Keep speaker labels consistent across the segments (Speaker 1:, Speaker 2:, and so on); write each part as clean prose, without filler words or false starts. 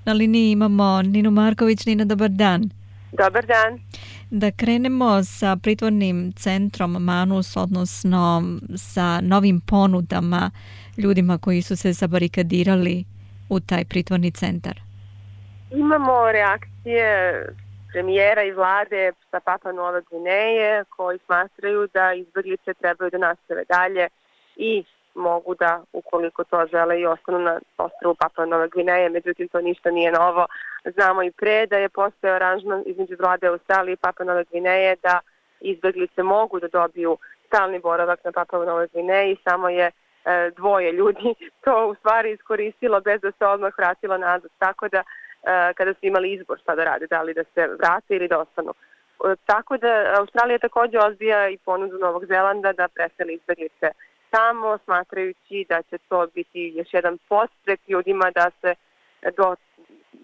Speaker 1: Na liniji imamo Ninu Marković. Nina, dobar dan.
Speaker 2: Dobar dan.
Speaker 1: Da krenemo sa pritvornim centrom Manus, odnosno sa novim ponudama ljudima koji su se zabarikadirali u taj pritvorni centar.
Speaker 2: Imamo reakcije premijera i vlade sa Papua Nove Gvineje koji smatraju da izbjeglice trebaju da nastave dalje i mogu da, ukoliko to žele, i ostanu na ostrvu Papua Nove Gvineje. Međutim, to ništa nije novo. Znamo i pre da je postojao aranžman između vlade Australije i Papua Nove Gvineje da izbjeglice mogu da dobiju stalni boravak na Papua Nove Gvineji, samo je dvoje ljudi to u stvari iskoristilo bez da se odmah vratilo nazad. Tako da kada su imali izbor šta da rade, da li da se vrate ili da ostanu. Tako da Australija također odbija i ponudu Novog Zelanda da preseli izbjeglice tamo, smatrajući da će to biti još jedan podstrek ljudima da se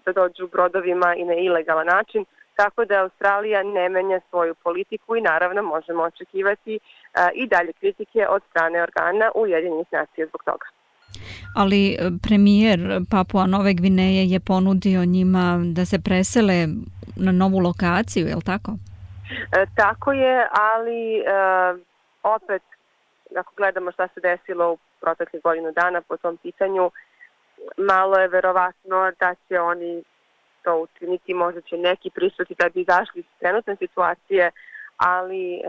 Speaker 2: da dođu brodovima i na ilegalan način. Tako da Australija ne menja svoju politiku i naravno možemo očekivati i dalje kritike od strane organa Ujedinjenih nacija zbog toga.
Speaker 1: Ali premijer Papua Nove Gvineje je ponudio njima da se presele na novu lokaciju, je li tako?
Speaker 2: Tako je, ali opet, ako gledamo šta se desilo u proteklih godinu dana po tom pitanju, malo je verovatno da će oni to učiniti, možda će neki pristati da bi izašli iz trenutne situacije, ali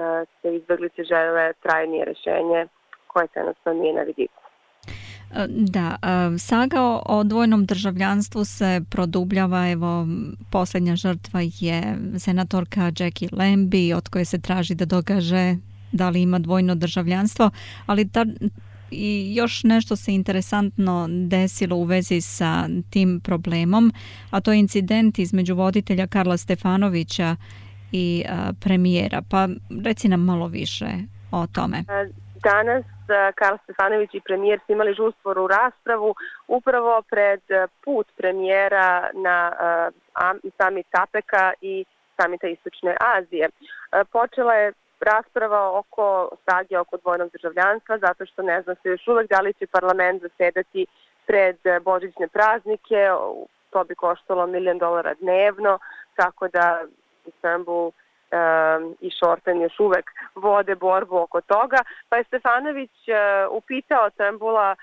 Speaker 2: se izbjeglice žele trajnije rješenje koje trenutno nije na vidiku.
Speaker 1: Da, saga o dvojnom državljanstvu se produbljava. Evo, posljednja žrtva je senatorka Jackie Lambie, od koje se traži da dokaže da li ima dvojno državljanstvo, ali i još nešto se interesantno desilo u vezi sa tim problemom, a to je incident između voditelja Karla Stefanovića i premijera. Pa reci nam malo više o tome.
Speaker 2: Danas Karl Stefanović i premijer su imali žustvoru raspravu upravo pred put premijera na samit APEC-a i samita Istočne Azije. Počela je rasprava oko sage oko dvojnog državljanstva, zato što ne zna se još uvek da li će parlament zasedati pred božićne praznike. To bi koštalo $1 milion dnevno, tako da Istanbul i Šorten još uvek vode borbu oko toga. Pa je Stefanović upitao Turnbulla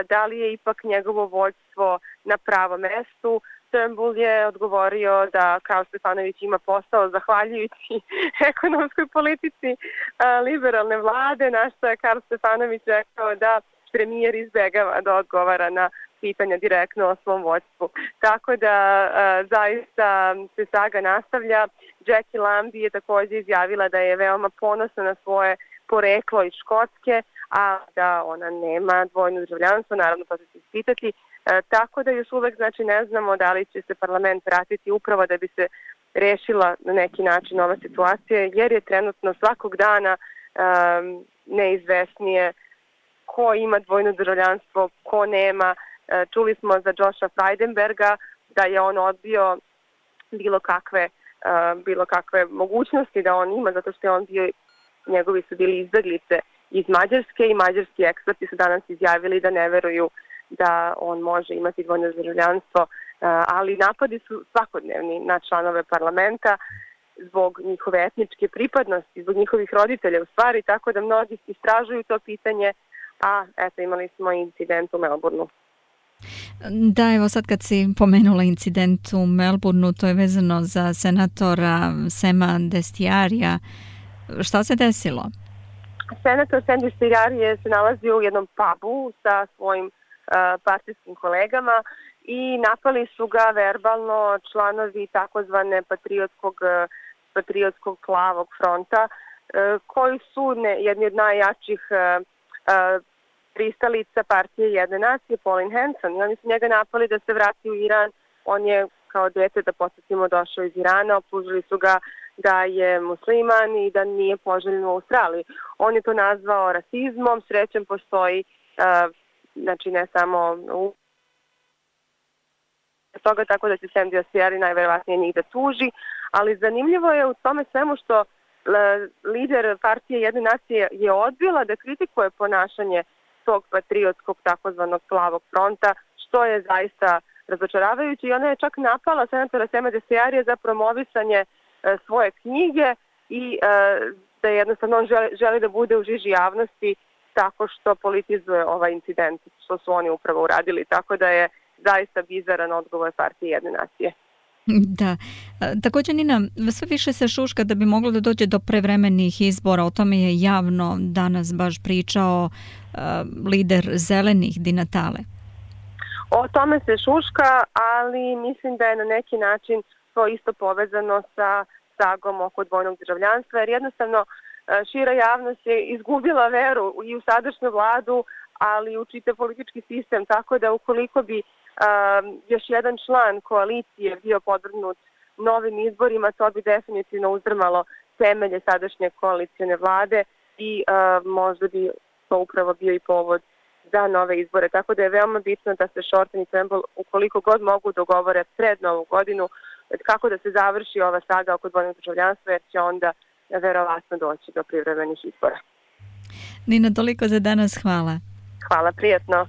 Speaker 2: da li je ipak njegovo vođstvo na pravom mestu. Turnbull je odgovorio da Karl Stefanović ima posao zahvaljujući ekonomskoj politici liberalne vlade, na što je Karl Stefanović rekao da premijer izbjegava da odgovara na pitanja direktno o svom vođstvu. Tako da zaista se saga nastavlja. Jackie Lambie je također izjavila da je veoma ponosna na svoje poreklo iz Škotske, a da ona nema dvojno državljanstvo, naravno to će se ispitati. Tako da još uvek ne znamo da li će se parlament vratiti upravo da bi se rešila na neki način ova situacija, jer je trenutno svakog dana neizvesnije ko ima dvojno državljanstvo, ko nema. Čuli smo za Josha Frydenberga da je on odbio bilo kakve mogućnosti da on ima, zato što je on bio, njegovi su bili izbjeglice iz Mađarske i mađarski eksperti su danas izjavili da ne veruju da on može imati dvojno državljanstvo, ali napadi su svakodnevni na članove parlamenta zbog njihove etničke pripadnosti, zbog njihovih roditelja u stvari, tako da mnogi istražuju to pitanje, a eto imali smo incident u Melbourneu.
Speaker 1: Da, evo sad kad si pomenula incident u Melbourneu, to je vezano za senatora Sema Destiarija. Šta se desilo?
Speaker 2: Senator Sem Destiarije se nalazi u jednom pubu sa svojim partijskim kolegama i napali su ga verbalno članovi takozvane patriotskog plavog fronta, koji su jedni od najjačih pristalica partije Jedne nacije, Pauline Hanson. I oni su njega napali da se vrati u Iran. On je kao dete, da podsjetimo, došao iz Irana, optužili su ga da je musliman i da nije poželjen u Australiji. On je to nazvao rasizmom, srećem postoji ne samo u toga, tako da će Sem Destiari najverovatnije njih da tuži, ali zanimljivo je u tome svemu što lider partije Jedne nacije je odbila da kritikuje ponašanje tog patriotskog takozvanog plavog fronta, što je zaista razočaravajuće i ona je čak napala senatora Sema Desejarija za promovisanje svoje knjige i da jednostavno on želi da bude u žiži javnosti tako što politizuje ovaj incident, što su oni upravo uradili, tako da je zaista bizaran odgovor partije Jedne nacije.
Speaker 1: Da. Također, Nina, sve više se šuška da bi moglo da dođe do prevremenih izbora. O tome je javno danas baš pričao lider Zelenih Di Natale.
Speaker 2: O tome se šuška, ali mislim da je na neki način to isto povezano sa sagom oko dvojnog državljanstva, jer jednostavno šira javnost je izgubila veru i u sadašnju vladu, ali i u čitav politički sistem, tako da ukoliko bi još jedan član koalicije bio podvrgnut novim izborima, to bi definitivno uzdrmalo temelje sadašnje koalicijne vlade i možda bi to upravo bio i povod za nove izbore. Tako da je veoma bitno da se Shorten i Turnbull ukoliko god mogu dogovore pred Novu godinu kako da se završi ova saga oko dvojnog državljanstva, jer će onda verovatno doći do privremenih izbora.
Speaker 1: Nina, toliko za danas. Hvala.
Speaker 2: Hvala, prijatno.